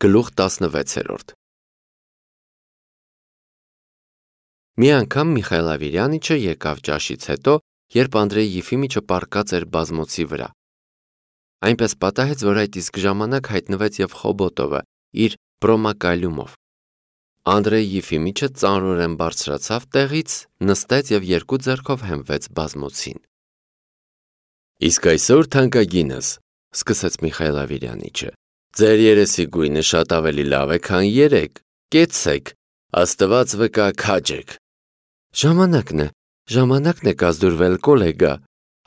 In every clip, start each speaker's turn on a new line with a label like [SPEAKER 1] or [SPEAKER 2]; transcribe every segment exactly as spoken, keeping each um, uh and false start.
[SPEAKER 1] Գլուխ տասնվեցերորդ Մի անգամ Միխայել Ավիրյանիչը եկավ ճաշից հետո, երբ Անդրեյ Եֆիմիչը պառկած էր բազմոցի վրա։ Այնպես պատահեց, որ այդ իսկ ժամանակ հայտնվեց և Խոբոտովը իր բրոմակալյումով։ Անդրեյ Եֆիմիչը ծանրորեն բարձրացավ տեղից, նստեց և երկու ձեռքով հենվեց բազմոցին։ Իսկ այսօր թանկագինս, սկսեց Միխայել Ավիրյանիչը, ձեր երեսի գույնը շատ ավելի լավ է, քան երեկ, կեցցեք, Աստված վկա քաջ եք։ Ժամանակն է, ժամանակն է կազդուրվել, կոլեգա,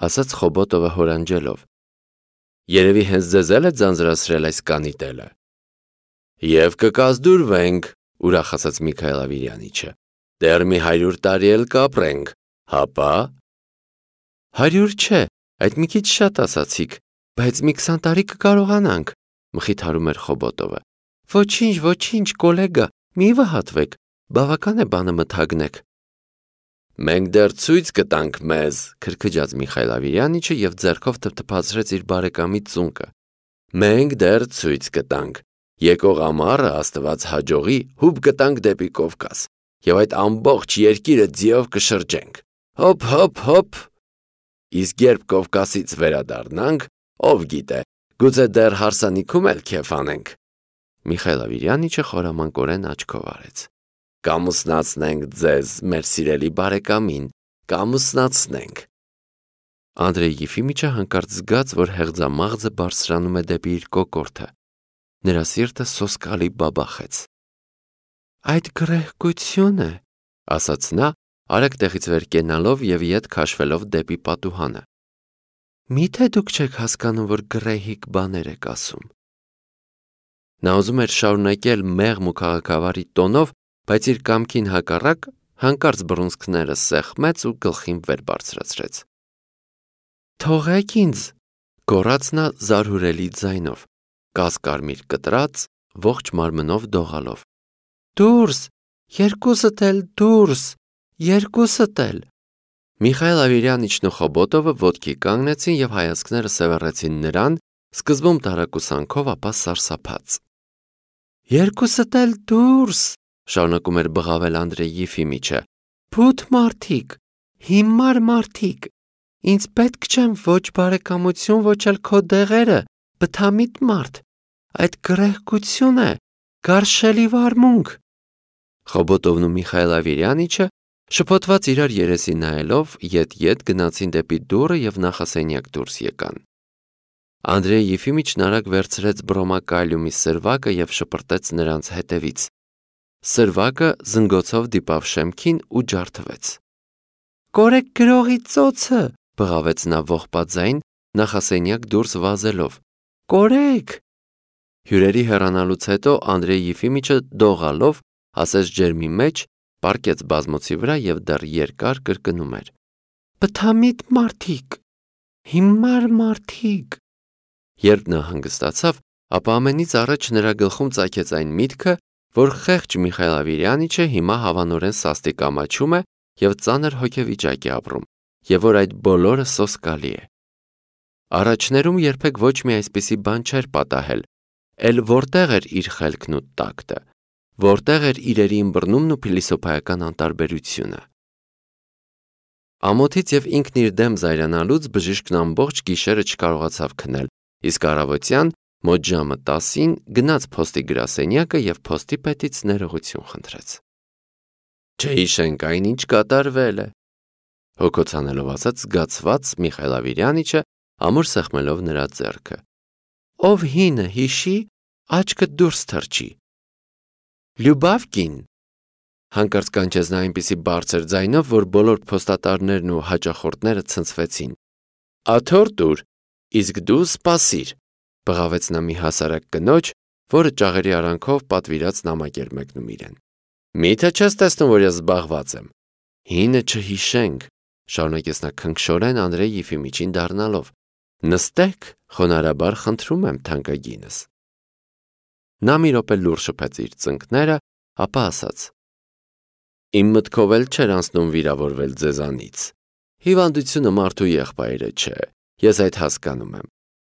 [SPEAKER 1] ասաց Խոբոտովը հորանջելով։ Երևի հենց ձեզ էլ է ձանձրացրել այս կանիտելը։ Եվ կկազդուրվենք, ուրախացած Միքայել Ավիրյանիչը, դեռ մի հարյուր տարի էլ կապրենք, հապա։ Հարյուր չէ, այդ մի քիչ շատ ասացիք, բայց մի քսան տարի կկարողանանք, մխիթարում էր Խոբոտովը։ Ոչինչ, ոչինչ, կոլեգա, մի վհատվեք, բավական է բանը մթագնեք։ Մենք դեռ ցույց կտանք մեզ, քրքջաց Միխայել Ավիրյանիչը և ձեռքով թփթփացրեց իր բարեկամի ծունկը։ Մենք դեռ ցույց կտանք։ Եկող ամառը Աստված հաջողի հուբ կտանք դեպի Կովկաս, և այդ ամբողջ երկիրը ձիով կշրջենք։ Հոփ, հոփ, հոփ։ Իսկ երբ Կովկասից վերադառնանք, ով գիտե, գուցե դեռ հարսանիքում էլ քեֆ անենք։ Միխայել Ավիրյանիչը խորամանկորեն աչքով արեց։ Կամուսնացնենք ձեզ, մեր սիրելի բարեկամին, կամուսնացնենք։ Անդրեյ Եֆիմիչը հանկարծ զգաց, որ հեղձամաղձը բարձրանում է դեպի իր կոկորդը։ Նրա սիրտը սոսկալի բաբախեց։ Այդ գրեհկություն է, ասաց նա, արագ տեղից վեր կենալով և ետ քաշվելով դեպի պատուհանը։ Միթե դուք չեք հասկանում, որ գրեհիկ բաներ եք ասում։ Նա ուզում էր շարունակել մեղմ ու քաղաքավարի տոնով, բայց իր կամքին հակառակ հանկարծ բռունցքները սեղմեց ու գլխին վեր բարձրացրեց։ Թողեք ինձ, գոռաց նա զարհուրելի ձայնով, կասկարմիր կտրած, ողջ մարմնով դողալով։ Դուրս, երկուսդ էլ դուրս, երկուսդ էլ։ Միխայել Ավիրյանիչն ու Խոբոտովը ոտքի կանգնեցին և հայացքները սևեռեցին նրան, սկզբում տարակուսանքով, ապա սարսափած։ Երկուսդ էլ դուրս, շարունակում էր բղավել Անդրեյ Եֆիմիչը, փութ մարդիկ, հիմար մարդիկ, ինձ պետք չեն ոչ բարեկամություն, ոչ էլ քո դեղերը, բթամիտ մարդ, այդ գրեհկություն է, գարշելի վարմունք։ Խոբոտովն ու Միխայել Ավիրյանիչը շփոթված իրար երեսի նայելով ետ-ետ գնացին դեպի դուռը և նախասենյակ դուրս եկան։ Անդրեյ Եֆիմիչն արագ վերցրեց բրոմակալյումի սրվակը և շպրտեց նրանց հետևից։ Սրվակը զնգոցով դիպավ շեմքին ու ջարդվեց։ Կորեք գրողի ծոցը, բղավեց նա ողբաձայն, նախասենյակ դուրս վազելով։ Կորեք։ Հյուրերի հեռանալուց հետո Անդրեյ Եֆիմիչը դողալով ասեց ջերմի մեջ, պառկեց բազմոցի վրա և դեռ երկար կրկնում էր. Բթամիտ մարդիկ, հիմար մարդիկ։ Երբ նա հանգստացավ, ապա ամենից առաջ նրա գլխում ծագեց այն միտքը, որ խեղճ Միխայել Ավիրյանիչը հիմա հավանորեն սաստիկ ամաչում է և ծանր հոգեվիճակ է ապրում, և որ այդ բոլորը սոսկալի է։ Առաջներում երբեք ոչ մի այսպիսի բան չէր պատահել, էլ որտեղ էր իր խելքն ու տակտը, որտեղ էր իրերի ըմբռնումն ու փիլիսոփայական անտարբերությունը։ Ամոթից և ինքն իր դեմ զայրանալուց բժիշկն ամբողջ գիշերը չկարողացավ քնել, իսկ առավոտյան մոտ ժամը տասին գնաց փոստի գրասենյակը և փոստի պետից ներողություն խնդրեց։ Չհիշենք այնինչ կատարվել է, հոգոցանելով ասաց զգացված Միխայել Ավիրյանիչը, ամուր սեղմելով նրա ձեռքը։ Ով հինը հիշի, աչքը դուրս թռչի։ Լյուբավկին, հանկարծ կանչեց նա այնպիսի բարձր ձայնով, որ բոլոր փոստատարներն ու հաճախորդները ցնցվեցին։ Աթոռ տուր, իսկ դու սպասիր, բղավեց նա մի հասարակ կնոջ, որը ճաղերի արանքով պատվիրած նամակ էր մեկնում իրեն։ Միթե չես տեսնում, որ ես զբաղված եմ։ Հինը չհիշենք, շարունակեց նա քնքշորեն Անդրեյ Եֆիմիչին դառնալով։ Նստեք, խոնարհաբար խնդրում եմ, թանկագինս։ Նա մի րոպե լուռ շփեց իր ծնկները, ապա ասաց. Իմ մտքով էլ չէր անցնում վիրավորվել ձեզանից։ Հիվանդությունը մարդու եղբայրը չէ, ես այդ հասկանում եմ։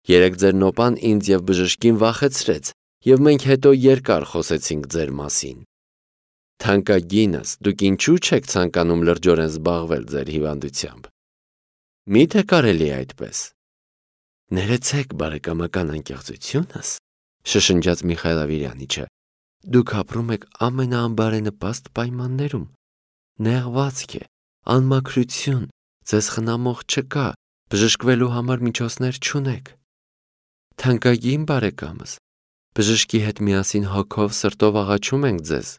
[SPEAKER 1] Երեկ ձեր նոպան ինձ և բժշկին վախեցրեց, և մենք հետո երկար խոսեցինք ձեր մասին։ Թանկագինս, դուք ինչու չեք ցանկանում լրջորեն զբաղվել ձեր հիվանդությամբ։ Մի՞թե կարելի է այդպես։ Ներեցեք բարեկամական անկեղծությունս, շշնջաց Միխայել Ավիրյանիչը, դուք ապրում եք ամենաանբարենպաստ պայմաններում։ Նեղվածք է, անմաքրություն, ձեզ խնամող չկա, բժշկվելու համար միջոցներ չունեք։ Թանկագին բարեկամս, բժշկի հետ միասին հոգով սրտով աղաչում ենք ձեզ,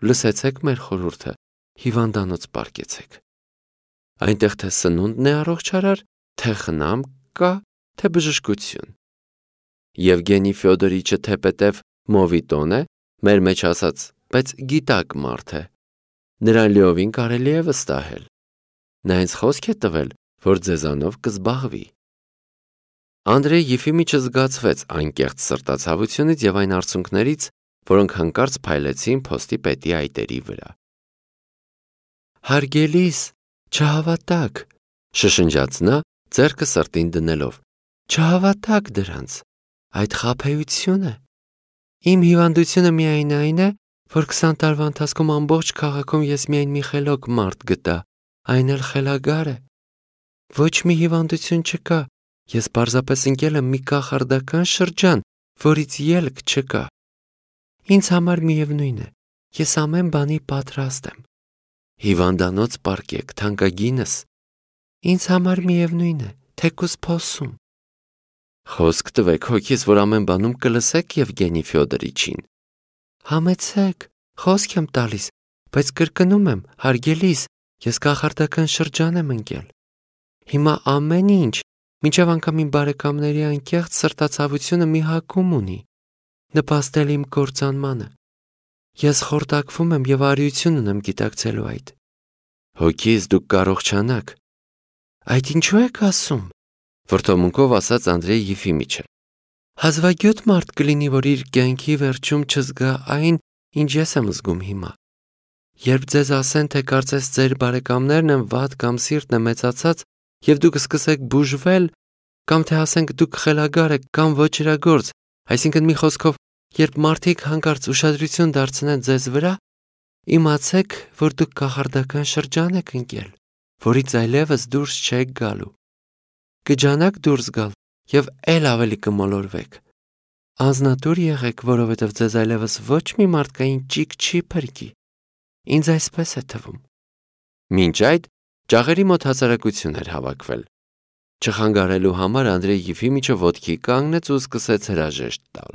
[SPEAKER 1] լսեցեք մեր խորհուրդը, հիվանդանոց պառկեցեք։ Այնտեղ թե սնունդն է առողջարար, թե խնամք կա, թե բժշկություն։ Եվգենի Ֆյոդորիչը թեպետև մովիտոն է, մեր մեջ ասած, բայց գիտակ մարդ է։ Նրան լիովին կարելի է վստահել։ Նա ինձ խոսք է տվել, որ ձեզանով կզբաղվի։ Անդրեյ Եֆիմիչը զգացվեց անկեղծ սրտացավությունից և այն արցունքներից, որոնք հանկարծ փայլեցին փոստի պետի այտերի վրա։ Հարգելիս, չհավատաք, շշնջաց նա, ձեռքը սրտին դնելով, չհավատաք դրանց, այդ խաբեություն է։ Իմ հիվանդությունը միայն այն է, որ քսան տարվա ընթացքում ամբողջ քաղաքում ես միայն մի խելոք մարդ գտա, այն էլ խելագար է։ Ոչ մի հիվանդություն չկա, ես պարզապես ընկել եմ մի կախարդական շրջան, որից ելք չկա։ Ինձ համար միևնույն է, ես ամեն բանի պատրաստ եմ։ Հիվանդանոց պառկեք, թանկագինս։ Ինձ համար միևնույն է, թեկուզ փոսում։ Խոսք տվեք հոգիս, որ ամեն բանում կլսեք Եվգենի Ֆյոդորիչին։ Համեցեք, խոսք եմ տալիս, բայց կրկնում եմ, հարգելիս, ես կախարդական շրջան եմ ընկել։ Հիմա ամեն ինչ, մինչև անգամ իմ բարեկամների անկեղծ սրտացավությունը մի հակում ունի, նպաստել իմ կործանմանը։ Ես խորտակվում եմ և արիություն ունեմ գիտակցելու այդ։ Հոգիս դուք կարողանաք։ Այդ ինչու եք ասում, վրդովմունքով ասաց Անդրեյ Եֆիմիչը։ Հազվագյուտ մարդ կլինի, որ իր կյանքի վերջում չզգա այն, ինչ ես եմ զգում հիմա։ Երբ ձեզ ասեն, թե կարծես ձեր բարեկամներն են վատ կամ սիրտն է մեծացած, և դուք սկսեք բուժվել, կամ թե ասենք դուք խելագար եք կամ ոչրագործ, այսինքն մի խոսքով, երբ մարդիկ հանկարծ ուշադրություն դարձնեն ձեզ վրա, իմացեք, որ դուք կախարդական շրջան եք ընկել, որից այլևս դուրս չեք գալու։ Կջանաք դուրս գալ և էլ ավելի կմոլորվեք։ Անձնատուր եղեք, որովհետև ձեզ այլևս ոչ մի մարդկային ճիգ չի փրկի։ Ինձ այսպես է թվում։ Մինչ այդ ջաղերի մոտ հասարակություն էր հավաքվել։ Չխանգարելու համար Անդրեյ Եֆիմիչը ոտքի կանգնեց ու սկսեց հրաժեշտ տալ։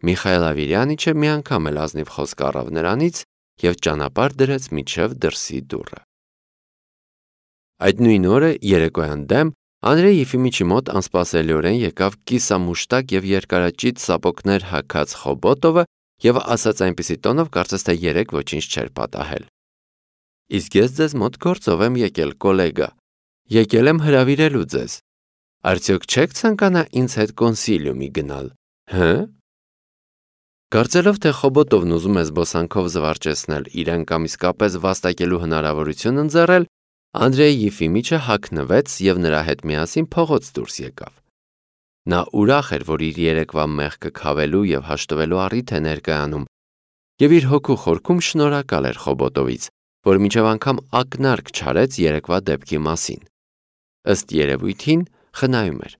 [SPEAKER 1] Միխայել Ավիրյանիչը մի անգամ էլ ազնիվ խոսք առավ նրանից և ճանապարհ դրեց մինչև դրսի դուռը։ Այդ նույն օրը երեկոյան դեմ Անդրեյ Եֆիմիչի մոտ անսպասելիորեն եկավ կիսամուշտակ և երկարաճիտ սապոգներ հագած Խոբոտովը և ասաց այնպիսի տոնով, կարծես թե երեկ ոչինչ չէր պատահել։ Իսկ ես ձեզ մոտ գործով եմ եկել, կոլեգա։ Եկել եմ հրավիրելու ձեզ։ Արդյոք չեք ցանկանա ինձ հետ կոնսիլիումի գնալ, հը՞։ Կարծելով, թե Խոբոտովն ուզում է զբոսանքով զվարճեցնել իրեն կամ իսկապես վաստակելու հնարավորություն ընձեռել, Անդրեյ Եֆիմիչը հագնվեց և նրա հետ միասին փողոց դուրս եկավ։ Նա ուրախ էր, որ իր երեկվա մեղքը քավելու և հաշտվելու առիթ է ներկայանում, և իր հոգու խորքում շնորհակալ էր Խոբոտովից, որ մինչև անգամ ակնարկ չարեց երեկվա դեպքի մասին։ Ըստ երևույթին խնայում էր։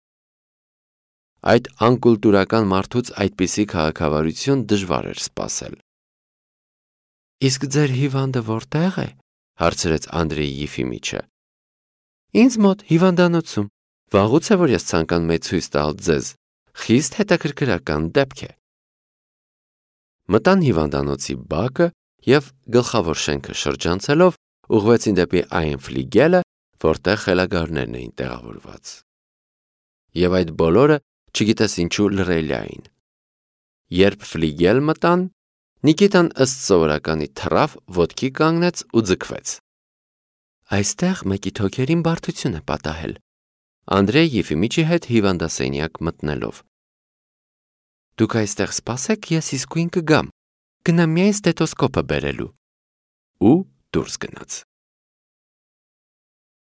[SPEAKER 1] Այդ անկուլտուրական մարդուց այդպիսի քաղաքավարություն դժվար էր սպասել։ Իսկ ձեր հիվանդը որտե՞ղ է, հարցրեց Անդրեյ Եֆիմիչը։ Ինձ մոտ հիվանդանոցում։ Վաղուց է, որ ես ցանկանում եմ ցույց տալ ձեզ։ Խիստ հետաքրքրական դեպք է։ Մտան հիվանդանոցի բակը և գլխավոր շենքը շրջանցելով ուղղվեցին դեպի այն ֆլիգելը, որտեղ խելագարներն էին տեղավորված։ Եվ այդ բոլորը չգիտես ինչու լռելի էին։ Երբ ֆլիգել մտան, Նիկիտան ըստ սովորականի թռավ, ոտքի կանգնեց ու ձգվեց։ Այստեղ մեկի թոքերին բարդություն է պատահել, Անդրեյ Եֆիմիչի հետ հիվանդասենյակ մտնելով։ Դուք այստեղ սպասեք, ես իսկույն կգամ, գնամ միայն ստետոսկոպը բերելու։ Ու դուրս գնաց։